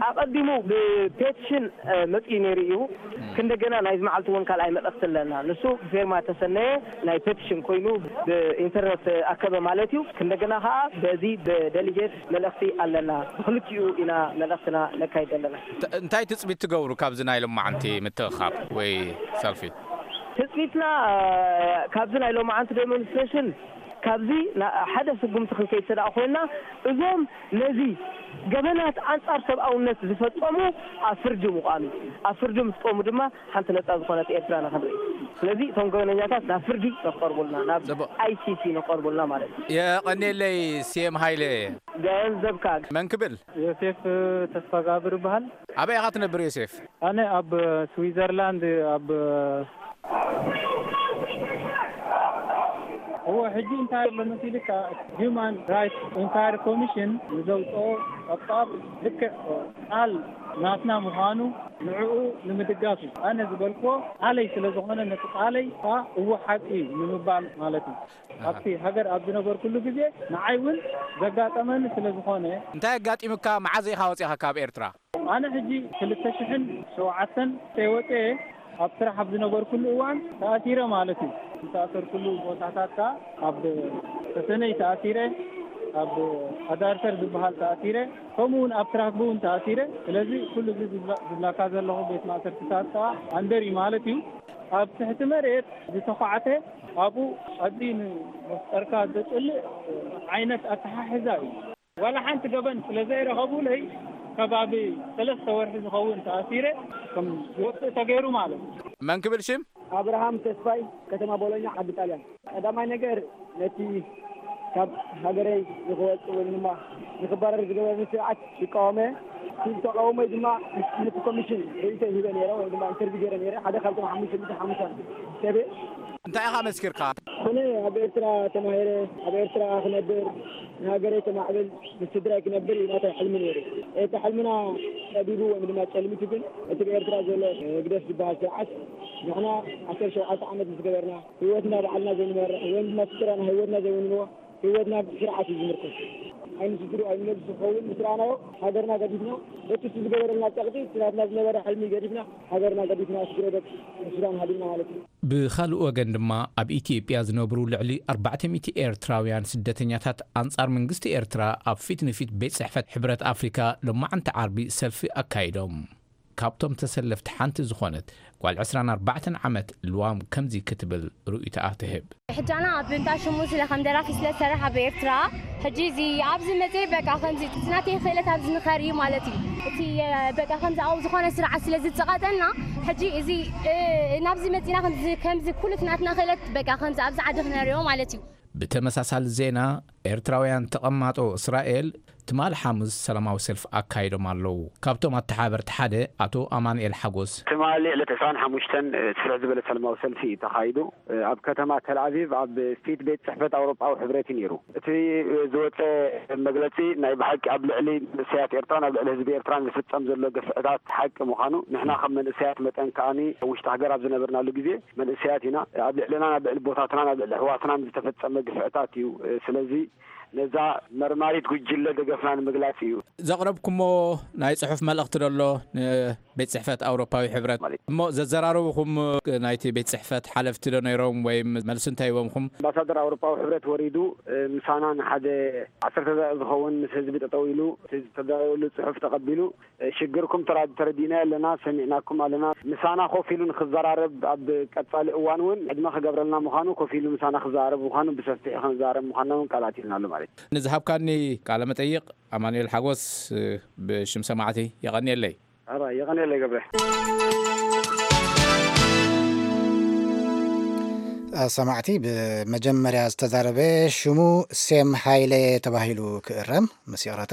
ኣቐዲሙ ብፔቲሽን መፂኡ ነይሩ እዩ። ክንደገና ናይዚ መዓልቲ እውን ካልኣይ መልእኽቲ ኣለና። ንሱ ብፌርማ ተሰነየ ናይ ፔቲሽን ኮይኑ ብኢንተርነት ኣከበ ማለት እዩ። ክንደገና ከዓ በዚ ብደሊጌት መልእኽቲ ኣለና። ብክልቲኡ ኢና መልእኽትና ነካይድ ዘለና። እንታይ ትፅቢት ትገብሩ ካብዚ ናይ ሎማዓንቲ ምትእኻብ ወይ ሰልፊ? ትፅቢትና ካብዚ ናይ ሎማዓንቲ ዴሞንስትሬሽን ካብዚ ሓደ ስጉምቲ ክንከይድ ስለ ኮይና እዞም ነዚ ገበናት ኣንፃር ሰብኣውነት ዝፈፀሙ ኣብ ፍርዲ ምቋም እዩ። ኣብ ፍርዲ ምስ ቆሙ ድማ ሓንቲ ነፃ ዝኾነት ኤርትራ ንክንርኢ። ስለዚ እቶም ገበነኛታት ናብ ፍርዲ ንክቐርቡልና ናብ ኣይሲሲ ንክቐርቡልና ማለት እዩ። የቐኔለይ። ሴም ሃይለ። ገንዘብካ መን ክብል? ዮሴፍ ተስፋጋብር ይበሃል። ኣበይ ኢኻ ትነብር ዮሴፍ? ኣነ ኣብ ስዊዘርላንድ ኣብ እዎ ሕጂ እንታይ ኣሎ መሲልካ? ሂማን ራይትስ ኢንኳሪ ኮሚሽን ንዘውፅኦ ጸብጻብ ልክዕ ቃል ናትና ምዃኑ ንዕኡ ንምድጋፍ እዩ። ኣነ ዝበልክዎ ቃለይ ስለ ዝኾነ ነቲ ቃለይ ከዓ እዎ ሓቂ እዩ ንምባል ማለት እዩ። ኣብቲ ሃገር ኣብ ዝነበርኩሉ ግዜ ንዓይ እውን ዘጋጠመኒ ስለ ዝኾነ። እንታይ ኣጋጢሙካ? መዓዝ ኢኻ ወፂኻ ካብ ኤርትራ? ኣነ ሕጂ ክልተ ሽሕን ሸውዓተን ወፅኤ ኣብ ስራሕ ኣብ ዝነበርኩሉ እዋን ተኣሲረ ማለት እዩ። ዝተኣሰርኩሉ ቦታታት ከዓ ኣብ ተሰነይ ተኣሲረ፣ ኣብ ኣዳርተር ዝበሃል ተኣሲረ፣ ከምኡ እውን ኣብ ትራክቡ እውን ተኣሲረ። ስለዚ ኩሉ እዚ ዝብላ- ዝብላካ ዘለኹ ቤት ማእሰርትታት ከዓ ኣንደር እዩ ማለት እዩ። ኣብ ትሕቲ መሬት ዝተኳዕተ ኣብኡ ኣብዚ ንመፍጠርካ ዘፅልእ ዓይነት ኣተሓሕዛ እዩ። ዋላ ሓንቲ ገበን ስለ ዘይረኸቡለይ ከባቢ ሰለስተ ወርሒ ዝኸውን ተኣሲረ ከም ዝወፅእ ተገይሩ ማለት እዩ። መን ክብል ሽም? ኣብርሃም ተስፋይ፣ ከተማ ቦሎኛ፣ ዓዲ ጣልያን። ቀዳማይ ነገር ነቲ ካብ ሃገረይ ንክወፅእ ወይ ድማ ንክባረር ዝገበረኒ ስርዓት ይቃወመ። እቲ ተቃውሞይ ድማ ነቲ ኮሚሽን ርእይቶ ሂበ ነይረ ወይ ድማ ኢንተርቪው ገይረ ነይረ። ሓደ ካብቶም ሓሙሽተ ሚእቲ ሓሙሽተ ሰብ እየ። እንታይ ኢኻ መስኪርካ? ኣነ ኣብ ኤርትራ ተማሂረ፣ ኣብ ኤርትራ ክነብር፣ ንሃገረይ ከማዕብል፣ ምስ ስድራይ ክነብር እዩ ናተይ ሕልሚ ነይሩ። እቲ ሕልምና ጠቢቡ ወይ ድማ ጨልሚቱ ግን እቲ ብኤርትራ ዘሎ ህግደፍ ዝበሃል ስርዓት ንሕና ዓሰርተ ሸውዓተ ዓመት ምስ ገበርና ህይወትና ባዕልና ዘይንመርሕ ወይ ድማ ስድራና ህይወትና ዘይውንንዎ ህይወትና ስርዓት እዩ ዝምርኮስ። ኣይንስድሩ ኣይንመልሱ ክኸውን ምስ ረኣናዮ ሃገርና ገዲፍና በቲ እሱ ዝገበረልና ጸቕጢ እቲ ናትና ዝነበረ ሕልሚ ገዲፍና ሃገርና ገዲፍና ስግረ ደቂ ሱዳን ሃዲምና ማለት እዩ። ብኻልእ ወገን ድማ ኣብ ኢትዮጵያ ዝነብሩ ልዕሊ ኣርባዕተ ሚእቲ ኤርትራውያን ስደተኛታት ኣንጻር መንግስቲ ኤርትራ ኣብ ፊት ንፊት ቤት ጽሕፈት ሕብረት ኣፍሪካ ሎማዓንቲ ዓርቢ ሰልፊ ኣካይዶም። ካብቶም ተሰለፍቲ ሓንቲ ዝኾነት ጓል ዕስራን ኣርባዕተን ዓመት ልዋም ከምዚ ክትብል ርእይቶኣ ትህብ። ሕጂ ኣነ ኣብ እንዳ ሽሙ ስለ ከም ደራፊ ስለ ዝሰርሕ ኣብ ኤርትራ፣ ሕጂ እዚ ኣብዚ መጽየ በቃ ከምዚ እቲ ናተይ ክእለት ኣብዚ ንኸርኢ ማለት እዩ። እቲ በቃ ከምዚ ኣብኡ ዝኾነ ስርዓት ስለ ዝጸቐጠና፣ ሕጂ እዚ ናብዚ መጺና ከምዚ ኩሉ እቲ ናትና ክእለት በቃ ከምዚ ኣብዚ ዓዲ ክነርእዮ ማለት እዩ። ብተመሳሳሊ ዜና፣ ኤርትራውያን ተቐማጦ እስራኤል ትማሊ ሓሙስ ሰላማዊ ሰልፊ ኣካይዶም ኣለዉ። ካብቶም ኣተሓበርቲ ሓደ ኣቶ ኣማንኤል ሓጎስ። ትማሊ ዕለት ዕስራን ሓሙሽተን ስፍሕ ዝበለ ሰላማዊ ሰልፊ እዩ ተኻይዱ። ኣብ ከተማ ተልኣቪቭ ኣብ ፊት ቤት ጽሕፈት ኣውሮጳዊ ሕብረት እዩ ነይሩ። እቲ ዝወፀ መግለፂ ናይ ብሓቂ ኣብ ልዕሊ መንእሰያት ኤርትራን ኣብ ልዕሊ ህዝቢ ኤርትራን ዝፍጸም ዘሎ ግፍዕታት ሓቂ ምዃኑ፣ ንሕና ከም መንእሰያት መጠን ከኣኒ ኣብ ውሽጢ ሃገር ኣብ ዝነበርናሉ ግዜ መንእሰያት ኢና። ኣብ ልዕልና፣ ኣብ ልዕሊ ቦታትናን ኣብ ልዕሊ ኣሕዋትናን ዝተፈጸመ ግፍዕታት እዩ። ስለዚ ነዛ መርማሪት ጉጅለ ደገፍና ንምግላጽ እዩ። ዘቕረብኩሞ ናይ ጽሑፍ መልእኽቲ ደሎ ንቤት ጽሕፈት ኣውሮፓዊ ሕብረት እሞ ዘዘራረብኹም ናይቲ ቤት ጽሕፈት ሓለፍቲ ዶ ነይሮም ወይ መልሲ እንታይ ሂቦምኹም? ኣምባሳደር ኣውሮፓዊ ሕብረት ወሪዱ ምሳና ንሓደ ዓሰርተ ደቂቕ ዝኸውን ምስ ህዝቢ ጠጠው ኢሉ እቲ ዝተዳለወሉ ጽሑፍ ተቐቢሉ ሽግርኩም ተራ- ተረዲእናዮ ኣለና፣ ሰሚዕናኩም ኣለና። ምሳና ኮፍ ኢሉ ንክዘራረብ ኣብ ቀጻሊ እዋን እውን ዕድመ ክገብረልና ምዃኑ፣ ኮፍ ኢሉ ምሳና ክዘራረብ ምዃኑ፣ ብሰፊሑ ክንዘራረብ ምዃንና እውን ቃል ኣትዩልናሉ ማለት እዩ። ንዝሃብካኒ ቃለ መጠይቕ ኣማኑኤል ሓጎስ ብሽም ሰማዕቲ የቐንየለይ። ኣባ የቐንየለይ ገብረ። ሰማዕቲ ብመጀመርያ ዝተዛረበ ሽሙ ሴም ሃይለ ተባሂሉ ክእረም ምስ ይቕረታ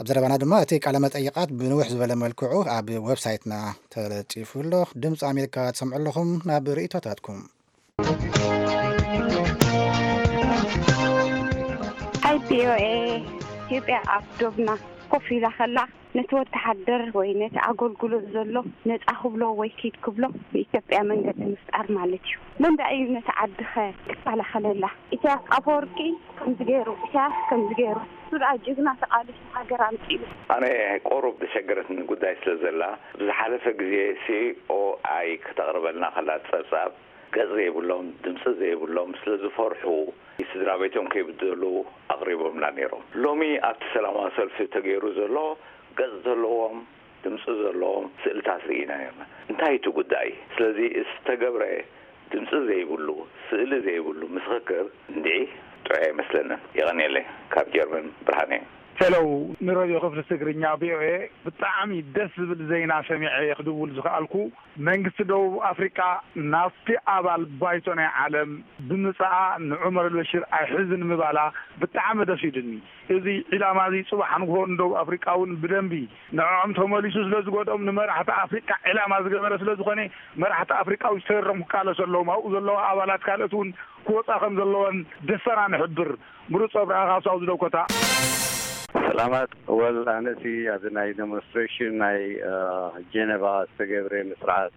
ኣብ ዘረባና ድማ እቲ ቃለ መጠይቓት ብንውሕ ዝበለ መልክዑ ኣብ ዌብሳይትና ተለጢፉ ኣሎ። ድምፂ ኣሜሪካ ትሰምዑ ኣለኹም። ናብ ርእይቶታትኩም። Hi VOA. ኢትዮጵያ ኣብ ዶብና ኮፍ ኢላ ከላ፣ ነቲ ወተሃደር ወይ ነቲ ኣገልግሎት ዘሎ ነጻ ክብሎ ወይ ኪድ ክብሎ ብኢትዮጵያ መንገዲ ምፍጣር ማለት እዩ። መንዳ እዩ ነቲ ዓድኸ ክከላኸለላ? ኢሳያስ ኣፈወርቂ ከምዚ ገይሩ፣ ኢሳያስ ከምዚ ገይሩ፣ እሱ ደኣ ጅግና ተቓሊሱ ሃገር ኣምጺኡ። ኣነ ቆሩብ ዝሸገረትኒ ጉዳይ ስለ ዘላ፣ ብዝሓለፈ ግዜ ሲ ኦ ኣይ ከተቕርበልና ከላ ጸብጻብ፣ ገጽ ዘይብሎም፣ ድምጺ ዘይብሎም፣ ስለ ዝፈርሑ፣ ስድራ ቤቶም ከይብደሉ ኣቕሪቦምና ነይሮም። ሎሚ ኣብቲ ሰላማዊ ሰልፊ ተገይሩ ዘሎ፣ ገጽ ዘለዎም፣ ድምጺ ዘለዎም ስእልታት ርኢና ነርና። እንታይ እቲ ጉዳይ? ስለዚ ዝተገብረ ድምጺ ዘይብሉ፣ ስእሊ ዘይብሉ ምስኽር እንድዒ ጥዑይ ኣይመስለንን። የቐንየለይ። ካብ ጀርመን ብርሃነ። ሄሎ፣ ንረድዮ ክፍሊ ትግርኛ ቪ ኦ ኤ ብጣዕሚ ደስ ዝብል ዜና ሰሚዐ እየ ክድውል ዝኸኣልኩ። መንግስቲ ደቡብ ኣፍሪቃ ናብቲ ኣባል ባይቶ ናይ ዓለም ብምጽኣ ንዑመር ኣልበሽር ኣይሕዝን ምባላ ብጣዕሚ ደስ ኢሉኒ። እዚ ዒላማ እዚ ጽባሕ ንግሆ ንደቡብ ኣፍሪቃ እውን ብደንቢ ንዕኦም ተመሊሱ ስለ ዝጎድኦም ንመራሕቲ ኣፍሪቃ ዒላማ ዝገበረ ስለ ዝኾነ መራሕቲ ኣፍሪቃ እውን ሰሪሮም ክቃለሱ ኣለዎም። ኣብኡ ዘለዉ ኣባላት ካልኦት እውን ክወጻ ከም ዘለወን ደስታና ንሕብር። ምሩጽ ኣብርሃ ካብ ሳውዝ ዳኮታ። ሰላማት። ወል ኣነሲ ኣብዚ ናይ ዴሞንስትሬሽን ናይ ጀነቫ ዝተገብረ ንስርዓት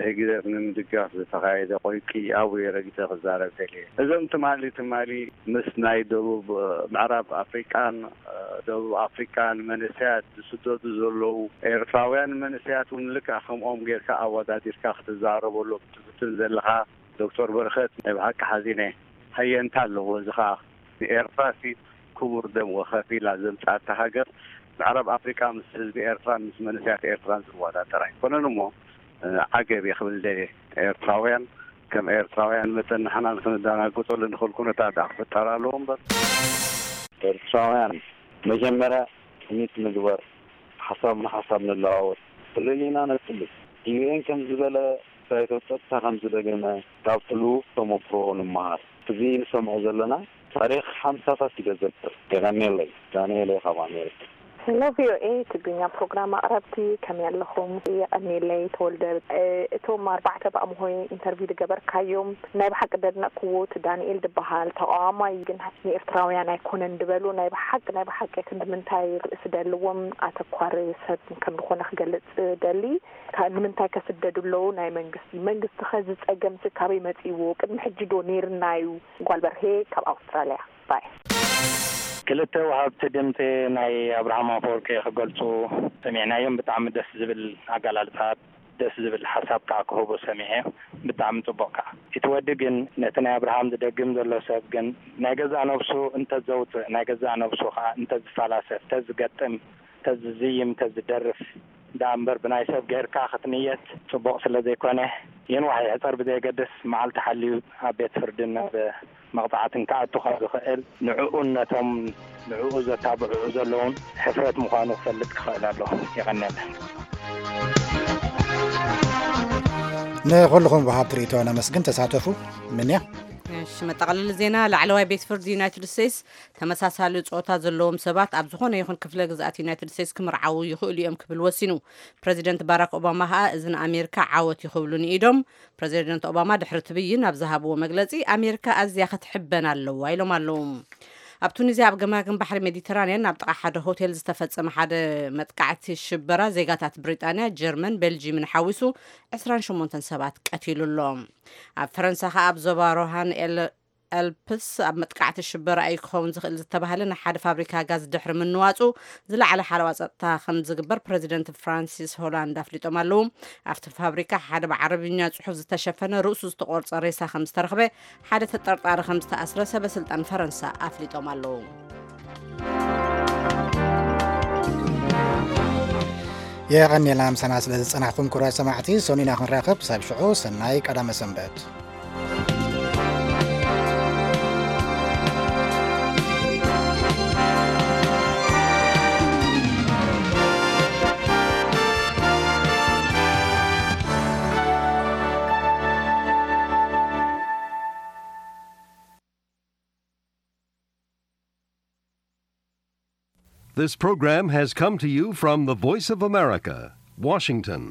ህግደፍ ንምድጋፍ ዝተኻየደ ቆይቂ ኣብኡ ረጊጸ ክዛረብ ደልየ። እዞም ትማሊ ትማሊ ምስ ናይ ደቡብ ምዕራብ ኣፍሪቃን ደቡብ ኣፍሪቃን መንእሰያት ዝስደዱ ዘለዉ ኤርትራውያን መንእሰያት እውን ልክዕ ከምኦም ጌርካ ኣወዳዲርካ ክትዛረበሎም ትፍትን ዘለኻ ዶክተር በረኸት ናይ ብሓቂ ሓዚነ። ሃየንታ ኣለዎ እዚ ኸኣ ንኤርትራሲ ክቡር ደም ወከፊላ ዘምጻእታ ሃገር ምዕራብ ኣፍሪቃ ምስ ህዝቢ ኤርትራን ምስ መንእሰያት ኤርትራን ዝወዳደር ኣይኮነን እሞ ዓገብ እየ ክብል ደልየ። ኤርትራውያን ከም ኤርትራውያን መጠን ንሕና ንክንደናገጸሉ ንኽእል ኩነታት ደኣ ክፍጠር ኣለዎ እምበር። ኤርትራውያን መጀመርያ ትምኒት ንግበር፣ ሓሳብ ንሓሳብ ንለዋወጥ፣ ፍልልይና ነጽሊ። ዩ ኤን ከም ዝበለ ባይቶ ጸጥታ ከም ዝደገመ ካብቲ ልዉኽ ተመክሮ ንመሃር። እዚ ንሰምዖ ዘለና ታሪኽ ሓምሳታት እዩ ዘዘክር። የቐንየለይ። ዳንኤል እየ ካብ ኣሜሪካ። ሄሎ ቪ ኦ ኤ ትግርኛ ፕሮግራም ኣቕረብቲ፣ ከመይ ኣለኹም? የቐንየለይ ተወልደ። እ፣ እቶም ኣርባዕተ ብኣምሆይ ኢንተርቪው ዝገበርካዮም ናይ ብሓቂ ደድነቕክዎ፣ እቲ ዳንኤል ዝበሃል ተቓዋማይ ግን ንኤርትራውያን ኣይኮነን ዝበሉ ናይ ብሓቂ፣ ናይ ብሓቂ ክንዲ ምንታይ ርእሲ ደልዎም ኣተኳሪ ሰብ ከም ዝኾነ ክገልጽ ደሊ። ካ-፣ ንምንታይ ከስደዱ ኣለዉ ናይ መንግስቲ? መንግስቲ ኸ እዚ ጸገምሲ ካበይ መጺእዎ? ቅድሚ ሕጂ ዶ ነይርና እዩ? ጓል በርሄ ካብ ኣውስትራልያ። ባይ። ክልተ ወሃብቲ ድምፂ ናይ ኣብርሃም ኣፈወርቂ ክገልፁ ሰሚዕናዮም። ብጣዕሚ ደስ ዝብል ኣገላልፃ፣ ደስ ዝብል ሓሳብ ከዓ ክህቡ ሰሚዐ። ብጣዕሚ ፅቡቅ ከዓ። እቲ ወዲ ግን ነቲ ናይ ኣብርሃም ዝደግም ዘሎ ሰብ ግን ናይ ገዛእ ነብሱ እንተዘውፅእ፣ ናይ ገዛእ ነብሱ ከዓ እንተዝፈላሰፍ፣ ተዝገጥም፣ ተዝዝይም፣ ተዝደርፍ ደኣ እምበር ብናይ ሰብ ገይርካ ክትንየት ጽቡቕ ስለ ዘይኮነ፣ የንዋሕ ይሕጸር ብዘየገድስ መዓልቲ ሓልዩ ኣብ ቤት ፍርድን ኣብ መቕጻዕትን ክኣቱ ከም ዝኽእል ንዕኡን ነቶም ንዕኡ ዘታብዕኡ ዘለውን ሕፍረት ምዃኑ ክፈልጥ ክኽእል ኣለዎ። የቐንየለይ። ንኹልኹም ወሃብቲ ርእይቶ ነመስግን። ተሳተፉ። ምንያ። እሺ፣ መጠቓለሊ ዜና። ላዕለዋይ ቤት ፍርዲ ዩናይትድ ስቴትስ ተመሳሳሊ ጾታ ዘለዎም ሰባት ኣብ ዝኾነ ይኹን ክፍለ ግዝኣት ዩናይትድ ስቴትስ ክምርዓዉ ይኽእሉ እዮም ክብል ወሲኑ። ፕረዚደንት ባራክ ኦባማ ኸኣ እዚ ንኣሜሪካ ዓወት እዩ ክብሉ ንኢዶም። ፕረዚደንት ኦባማ ድሕሪ እቲ ብይን ኣብ ዝሃብዎ መግለጺ፣ ኣሜሪካ ኣዝያ ክትሕበን ኣለዋ ኢሎም ኣለዉ። ኣብ ቱኒዝያ ኣብ ገማግም ባሕሪ ሜዲተራንያን ኣብ ጥቓ ሓደ ሆቴል ዝተፈጸመ ሓደ መጥቃዕቲ ሽበራ ዜጋታት ብሪጣንያ፣ ጀርመን፣ ቤልጂምን ሓዊሱ ዕስራን ሸሞንተን ሰባት ቀቲሉ ኣሎ። ኣብ ፈረንሳ ኸኣ ኣብ ዞባ ሮሃን ኤል ኣልፕስ ኣብ መጥቃዕቲ ሽበራ እዩ ክኸውን ዝኽእል ዝተባህለ ንሓደ ፋብሪካ ጋዝ ድሕሪ ምንዋጹ ዝለዓለ ሓለዋ ጸጥታ ከም ዝግበር ፕረዚደንት ፍራንሲስ ሆላንድ ኣፍሊጦም ኣለዉ። ኣብቲ ፋብሪካ ሓደ ብዓረብኛ ጽሑፍ ዝተሸፈነ ርእሱ ዝተቖርጸ ሬሳ ከም ዝተረኽበ ሓደ ተጠርጣሪ ከም ዝተኣስረ ሰበ ስልጣን ፈረንሳ ኣፍሊጦም ኣለዉ። የቐንየልና ምሳና ስለ ዝጸናሕኩም ክቡራት ሰማዕቲ። ሰኑይ ኢና ክንራኸብ። ክሳብ ሽዑ ሰናይ ቀዳመ ሰንበት። This program has come to you from the Voice of America, Washington.